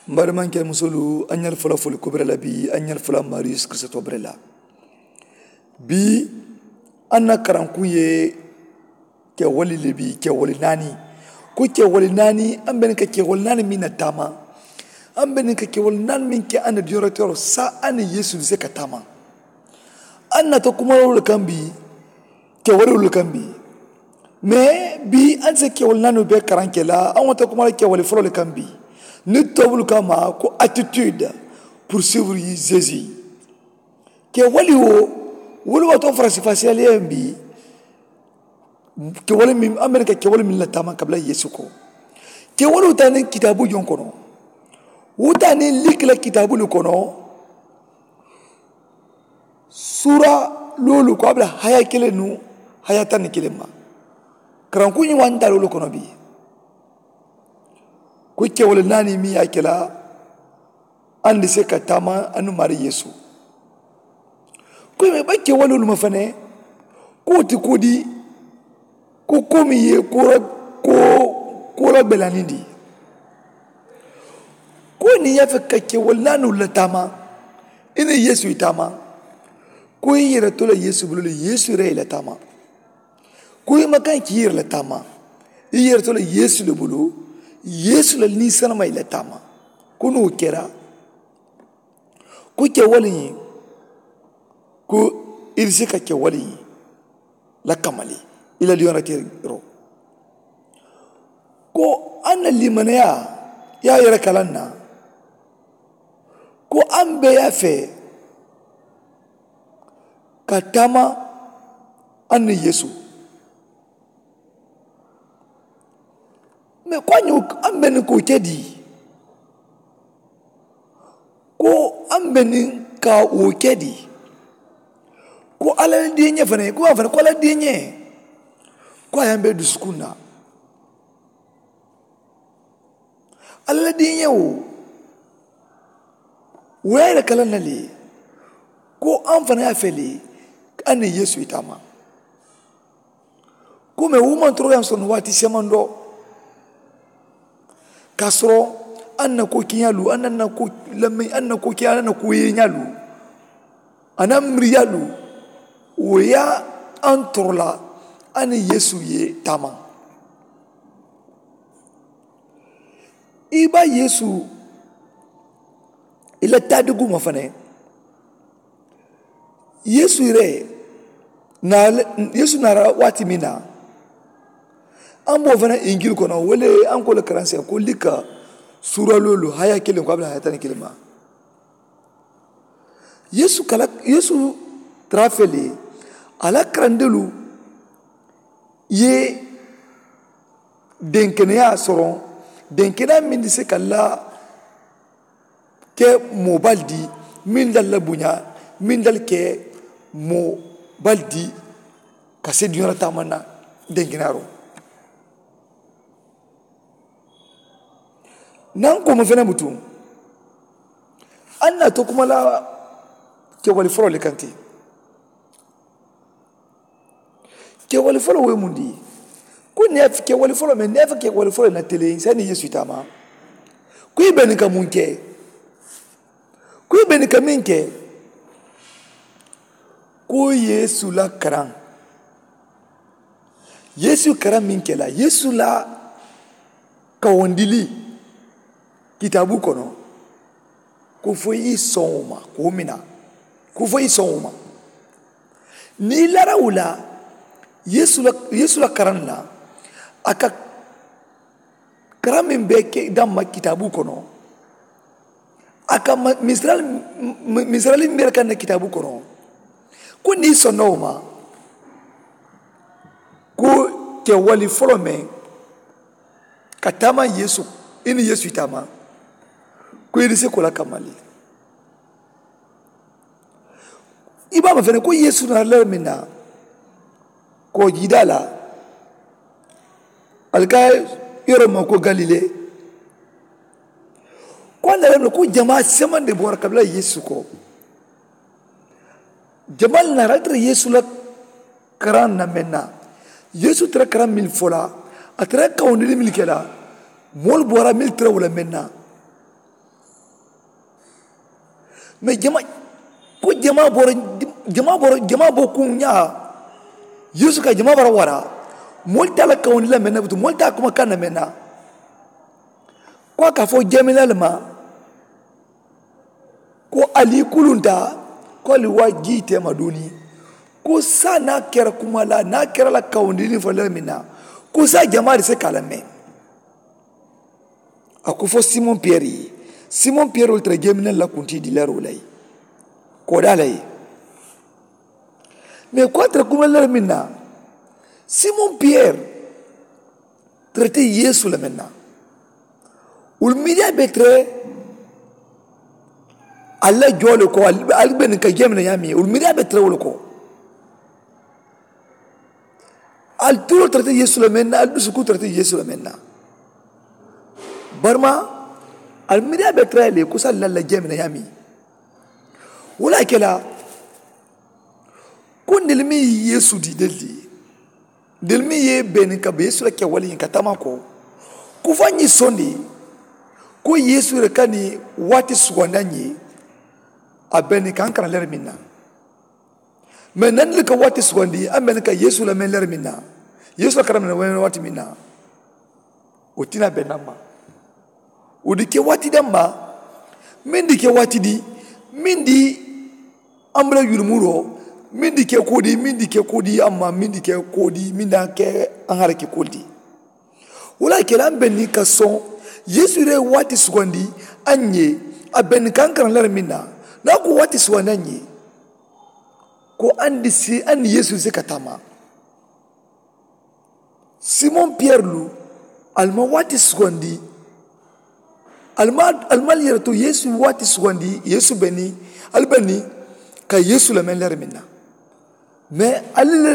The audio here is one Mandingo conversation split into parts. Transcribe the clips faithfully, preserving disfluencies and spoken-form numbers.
N baadimankee musoolu, a ñaali fula fuli kubira la bii, a ñaali fula maariyu yeesu kirisitoo bira la. Bii a na karankuŋ ye kewali le bii kewali naani. Ko kewali naani a be niŋ ka kewali naani meŋ na taama, a be niŋ ka kewali naani meŋ ke a na diyoratoro saa a niŋ yeesu bi se ka taama. A na to kuma wolu le kaŋ bii, kewali wolu le kaŋ bii. Mais bii a ni se kewali naani be karaŋ ke la a ŋo to kuma la kewali folo le kaŋ bii. Ni tobulu ka ma ko attitude pour suivre jésus. Kewali wo wolu wato farasi fasiyaliya bii. Kewali min a mene ka kewali min la taama kabila yeesu ko. Kewali wuta ni kitaabu joŋ kono wuta ni likila kitaabu le kono. Suura loolu ko a bula haya kiliŋ nu haya taŋ ni kiliŋ ma. Karankuŋ ñiŋ wanta loolu kono bii. Ko kewali naani meŋ ye a ke la andi se ka taama anu maari yeesu. Ko i be ba kewali wolu ma fanaŋ ko wo ti ko di. Ko ko meŋ ye ko la ko ko la belanindi. Ko niŋ i ye a fo ka kewali naani wolu la taama i niŋ yeesu ye taama. Ko i yere to la yeesu bulu le yeesu yere ye la taama. Ko i ma kaŋ ke i yere la taama i yere to la yeesu le bulu. Yeesu la niŋ sanama ye la taama. Ko niŋ wo kera ko kewali ñiŋ ko i si ka kewali ñiŋ la kamali i la liyoŋatiro. Ko a na limanaya ye a yere kalaŋ na ko a mbe ye a fee ka taama a niŋ yeesu. Mais ko a ñoo a mbe niŋ ka wo ke di ko a mbe niŋ ka wo ke di. Ko alla la diiñee fanaŋ ko a fanaŋ ko alla la diiñee ko a ye a mbe dusukuŋ na. Alla la diiñee wo wo ye a yita kalaŋ na le ko a fanaŋ ye a fele a niŋ yeesu ye taama. Ko mais wo maŋ toroyaŋ sono waati semandoo ka soro a na ko kiñaalu a na ko lame a na ko kiñaalu a na ko yeñaalu a na miriyalu wo ye a torola a niŋ yeesu ye taama. I ba yeesu i la taadigu ma fanaŋ. Yeesu yere na yeesu naata waati meŋ na. An be wo fanaŋ injili kono wo le an ko le karanseŋ ko lika suura loolu haya kiliŋ ko a be la haya tani kiliŋ ma. Yeesu kala yeesu tara fele a la karandelu ye denkeneyaa soroŋ denkeneyaa meŋ ti se ka la ke moo bali di meŋ dali la buñaa meŋ dali ke moo bali di ka se duñaa la taama na denkeneyaa roŋ. Naŋ kooma fene butu a na to kuma la kewali foloo le kaŋ ti. Kewali foloo wo ye muŋ di ko niŋ ye a fo kewali foloo meŋ niŋ ye a fo kewali foloo ye na tele i se niŋ yeesu ye taama ko i be niŋ ka muŋ ke. Ko i be niŋ ka meŋ ke ko yeesu la karaŋ. Yeesu karaŋ meŋ ke la yeesu la kawandili kitaabu kono. Ko fo i soŋo ma ko mina ko fo i soŋo ma. Niŋ i larawu la yeesu la karaŋ na a ka karaŋ meŋ be ke damma kitaabu kono. A ka misirali misirali meŋ be le kaŋ na kitaabu kono ko niŋ i sonna wo ma ko kewali foloo meŋ ka taama yeesu i niŋ yeesu i taama ko i ni se ko la kamma le. I be a ma fene ko yeesu naata le meŋ na ko jiidaa la ali ka yoro ma ko galile. Ko a naata le meŋ na ko jamaa semandi boora kabila yeesu ko jamaa le naata ali tara yeesu la karaŋ na meŋ na yeesu tara karaŋ mili fo la a tara kawundili mili ke la moolu boora mili tara wo la meŋ na. Mais jama ko jama boro jama boro jama bo kuŋ ñaa. Yeesu ka jama bara wara moolu te a la kawundi la meŋ na butu moolu te a kuma kaŋ na meŋ na. Ko a ka a fo jeeminaalu ma ko ali kulunta ko ali waa jii teema duuni. Ko saayiŋ niŋ a kera kuma la niŋ a kera la kawundiriŋ fo le meŋ na ko saayiŋ jamaa di se ka a la meŋ. A ko fo simoŋ piyeri ye simoŋ piyeri wo le tara jeeminaalu la kuntii di leeroo la ye. Koodaa la ye mais ko a tara kuma leeroo meŋ na simoŋ piyeri tara te yeesu la meŋ na. Wolu miiriyaa be tara ali la joo le ko ali be niŋ ka jeemina ñaamiŋ ye wolu miiriyaa be tara wo le ko. Ali tuuroo tara te yeesu la meŋ na ali dusukuu tara te yeesu la meŋ na. Barima ali miiriyaa be tara ye le ko sali la la jeemina ñaamiŋ. Wo le a ke la ko ntelu meŋ ye yeesu di ntelu di ntelu meŋ ye bee niŋ ka be yeesu la kewali ñiŋ ka taama ko ko fo a ñiŋ sondi ko yeesu ye ka niŋ waati sugandi a ñiŋ ye. A be niŋ ka a karaŋ leeri meŋ na mais nanni le ka waati sugandi a be niŋ ka yeesu la meŋ leeri meŋ na yeesu la karaŋ meŋ na waati meŋ na. Wo tinaa be naŋ ma wo di ke waati daŋ ma meŋ di ke waati di meŋ di a mu la yulumuroo meŋ di ke koo di meŋ di ke koo di a ma meŋ di ke koo di meŋ di a ke a ŋa reki koo di. Wo le a ke la a mu be niŋ ka soŋ yeesu ye waati sugandi a ñe a be niŋ ka a karaŋ lari meŋ na. Niŋ a ko waati sugandi a ñe ko a ni si a ni yeesu si ka taama. Simoŋ piyeri lu ali maŋ waati sugandi. Ali maŋ ali maŋ yere to yeesu waati sugandi yeesu be niŋ ali be niŋ ka yeesu la meŋ lari meŋ na. Mais ali le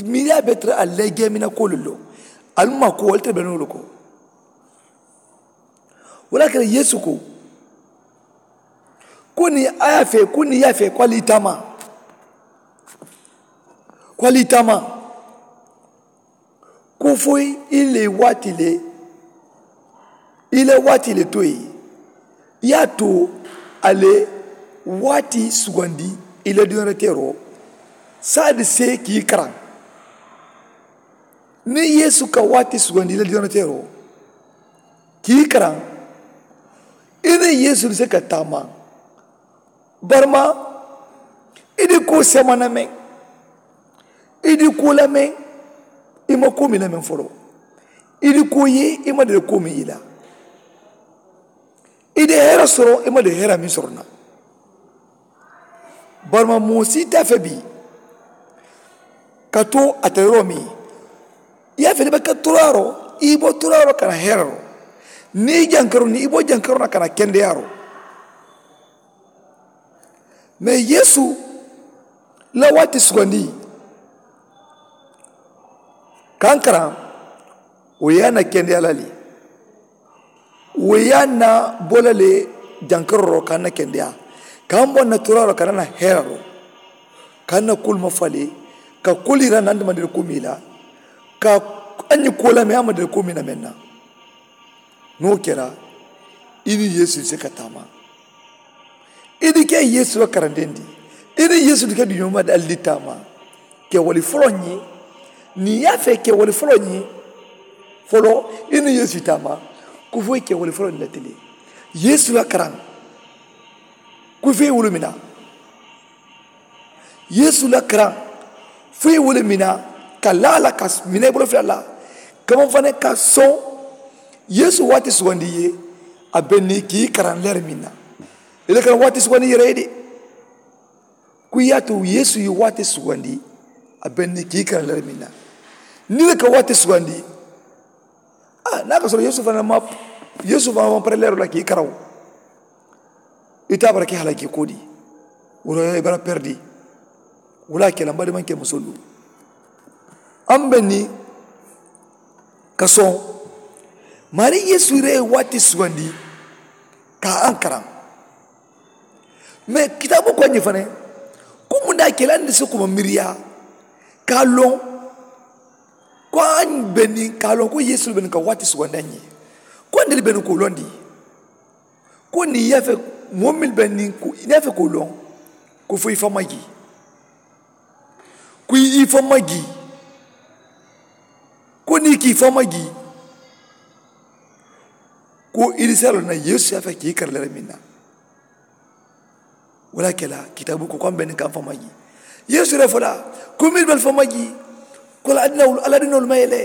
miiriyaa be tara ali le jeemina koolu loŋ. Ali maŋ ko ali te be noo le ko. Wo le a kela yeesu ko ko niŋ a ye a fee ko niŋ i ye a fee ko ali taama ko ali taama. Ko fo i le waati le i le waati le to ye i ye a to a le waati sugandi i le duniyaa teeroo. Saadi see kii karaŋ niŋ yeesu ka waati sugandi i la diyoonoteeroo kii karaŋ i niŋ yeesu be se ka taama. Barima i di koo semana meŋ i di koo la meŋ i ma koo miŋ la meŋ foloo i di koo ye i ma dali koo miŋ i la. I de hera soro i ma de hera miŋ soro na. Barima moo si te a fe bii ka to a te yoro miŋ i ye a fe ne be ka turaaro i bo turaaro kana heraro. Niŋ i jankaro niŋ i bo jankaro na kana kendeyaaro. Mais yeesu la waati sugandi kankaraŋ wo ye a na kendeya la le. Wo ye a na bo la le jankaroo ka a na kendeya ka a bo a na turaaroo ka a na heeraroo ka a na kuulu ma fale ka kuulu yira a na a damandiri kuu miŋ la ka a ñiŋ kuu la meŋ a ma dali kuu miŋ na meŋ na. Niŋ wo kera i niŋ yeesu si ka taama. I dike yeesu la karandendi i niŋ yeesu dike duñoo ma dali di taama. Kewali foloo ñiŋ niŋ i ye a fee kewali foloo ñiŋ foloo i niŋ yeesu taama. Ko fo i kewali foloo ñiŋ la tili yeesu la karaŋ ko fo i wulu mina. Yeesu la karaŋ fo i wulu mina ka laa la ka mina i bolo fula la kamaŋ fanaŋ ka soŋ. Yeesu waati sugandi i ye a be niŋ kii karaŋ leeri miŋ na i le karaŋ waati sugandi i yere ye de. Ko i ye a tu yeesu ye waati sugandi a be niŋ kii karaŋ leeri miŋ na. Niŋ i le ka waati sugandi a niŋ a ka soro yeesu fanaŋ ma yeesu fanaŋ ma pareeleeroo la kii karaŋ. Ite a bara ke halakii koo di? Wo to i bara perdi. Wo le a ke la m badimaŋ ke musoolu a mu be niŋ ka soŋ. Maarii yeesu yere ye waati sugandi ka a ankaraŋ. Mais kitaaboo ko a ñiŋ fanaŋ ko mundaa ke la a ni si kuma miiriyaa ka a loŋ ko a be niŋ ka a loŋ ko yeesu le be niŋ ka waati sugandi a ñiŋ ko a ntelu be niŋ ka wo londi. Ko niŋ i ye a fe Moo mennu be niŋ ko i niŋ a fee ko loŋ ko fo i fa maji, ko i fa maji, ko niŋ i ka i fa maji, ko i si a loŋ na yeesu ye a fee ka i kara le meŋ na. Wo le ye a ke la kitaabu ko ko a mu be niŋ ka a mu fa maji. Yeesu ye a fo la ko mennu be ali fa maji, ko ali adinawolu ali adinawolu maji le.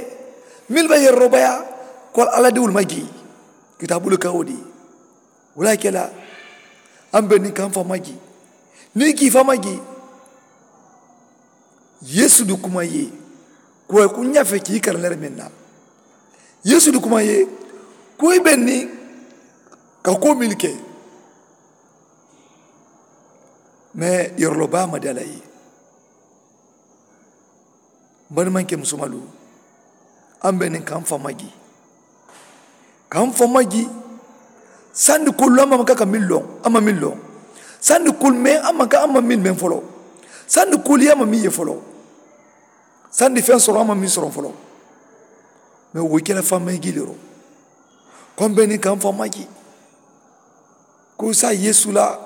Mennu be ali yeroo bayaa, ko ali adinawolu maji. Kitaabu le ka wo dii. Wo le ye a ke la a mu be niŋ ka a mu fa maji. Niŋ i ka i fa maji, yeesu di kuma i ye, ko a ye ko ñaa fee ka i kara le meŋ na. Yeesu di kuma i ye, ko i be niŋ ka koo mennu ke. Mais yeroo loo baa ma dii a la i ye. N balimankee musumalu, a mu be niŋ ka a mu fa maji. Ka a mu fa maji. Sandi koolu a manka ka meŋ loŋ a maŋ meŋ loŋ. Sandi koolu meŋ a manka a maŋ meŋ meŋ foloo. Sandi koolu ye a maŋ meŋ ye foloo. Sandi feŋ soroŋ a maŋ meŋ soroŋ foloo. Mais wo ye ke la faŋ meŋ jiliroo. Ko a mu be niŋ ka a mu fa maji. Ko saayiŋ yeesu la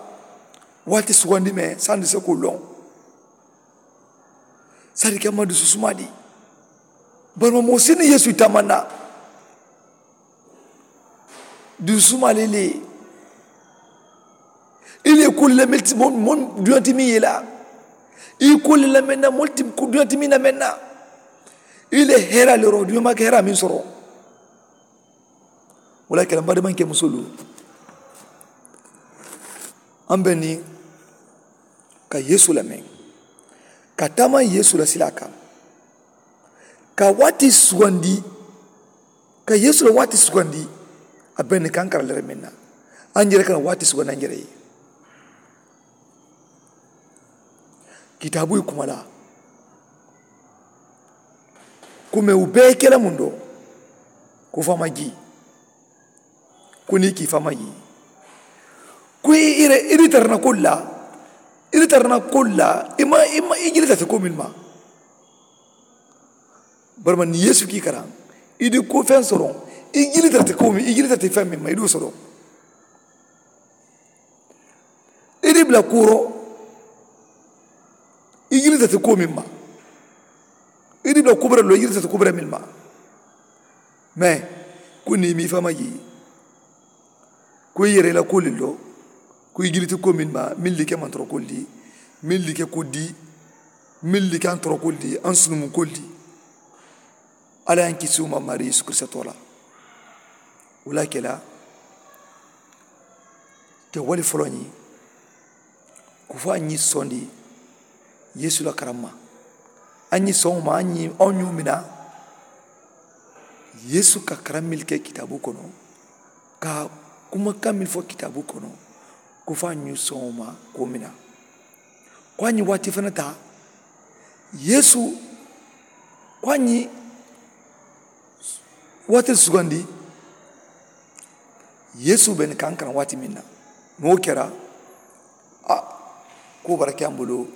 waati sugandi meŋ sandi se ko loŋ. Saayiŋ ka ma dusu suma dii. Bari ma moo si niŋ yeesu i taama na dusu suma le le. I le kuli le mel ti mo mo duyanti mi yela. I kuli le mel na mol ti duyanti mi na mel na. I le hera le ro duyan ma ke hera min soro. Wala kala mbadi man ke musulu. An be ni ka yeesu lameŋ ka taama yeesu la silaa kaŋ. Ka waati sugandi ka yeesu la waati sugandi. A be ni kaŋ kara lere meŋ na a njere kana waati sugandi a njere ye. Kitaabu ye kuma la. Ko meŋ wo bee ye ke la muŋ do ko faama jii. Ko niŋ i ka i faama jii ko i i di tara na koolu la. I di tara na koolu la i ma i ma i jilita ti ko meŋ ma. Barima niŋ yeesu ka i karaŋ i di ko feŋ soroŋ. I jilita ti ko meŋ i jilita ti feŋ meŋ ma i di wo soroŋ. I di bila kuuroo i jilita ti ko meŋ ma. I di bila kubura lo i jilita ti kubura meŋ ma. Mais ko niŋ i ma i faama jii ko i yere i la kuolu lo ko i jiliti ko meŋ ma meŋ like mantoro kuolu di meŋ like ko di meŋ like antoro kuolu di an sunumu kuolu di. Alla ye n kisi wo ma maari yeesu kirisita too la. Wo le ye a ke la ke wo le foloo ñiŋ ko fo a ñiŋ sondi yeesu la karamma. A ñiŋ soŋo ma a ñiŋ a ñoo mina yeesu ka karammilu ke kitaabu kono ka kuma kammil fo kitaabu kono. Ko fo a ñiŋ soŋo ma ko mina ko a ñiŋ waati fana taa yeesu ko a ñiŋ waati sugandi. Yeesu be ni kankana waati meŋ na niŋ wo kera a ko bara ke a bulu.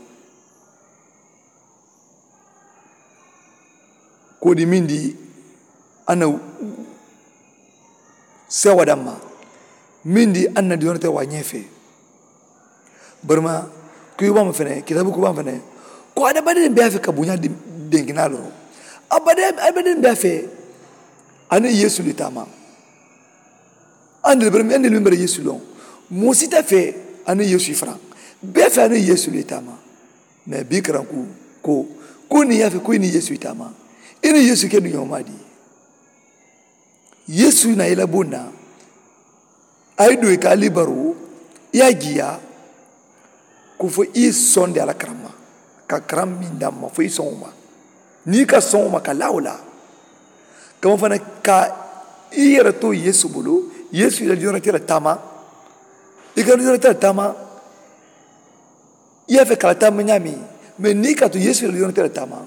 Ko di meŋ di a na sewa damma meŋ di a na diyonte wa ñefe. Barima kuyibaŋo fene kitabu kuyibaŋo fene ko adamadiŋ be a fe ka buña denkina loro. Abadiŋ be a fe a ni yeesu li taama. Andil barima andil meŋ bara yeesu loŋ moo si ta fe a ni yeesu faraŋ be a fe a ni yeesu li taama. Mais bii karanku ko ko niŋ ye a fe ko i niŋ yeesu i taama i niŋ yeesu ke duñoo maa di. Yeesu na i la buŋ na a ye duŋ i ka a libaru i ye a jiiyaa. Ko fo i ye sondi a la karamma ka karam meŋ damma fo i soŋo ma niŋ i ka soŋo ma ka laa wo la. Kama fana ka i yere to yeesu bulu yeesu i la diyonate la taama. I ka diyonate la taama i ye a fe ka la taama ñaami. Mais niŋ i ka to yeesu i la diyonate la taama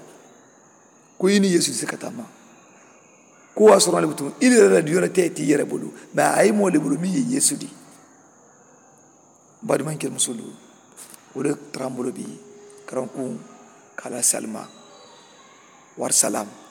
ko i niŋ yeesu si ka taama. Ko wo a soroŋ le butu i le la diyonate ti i yere bulu mais a ye moo le bulu meŋ ye yeesu di. Baadimaŋ kele musolu wo le tarambulo bi karankuŋ ka la salima. Wari salam.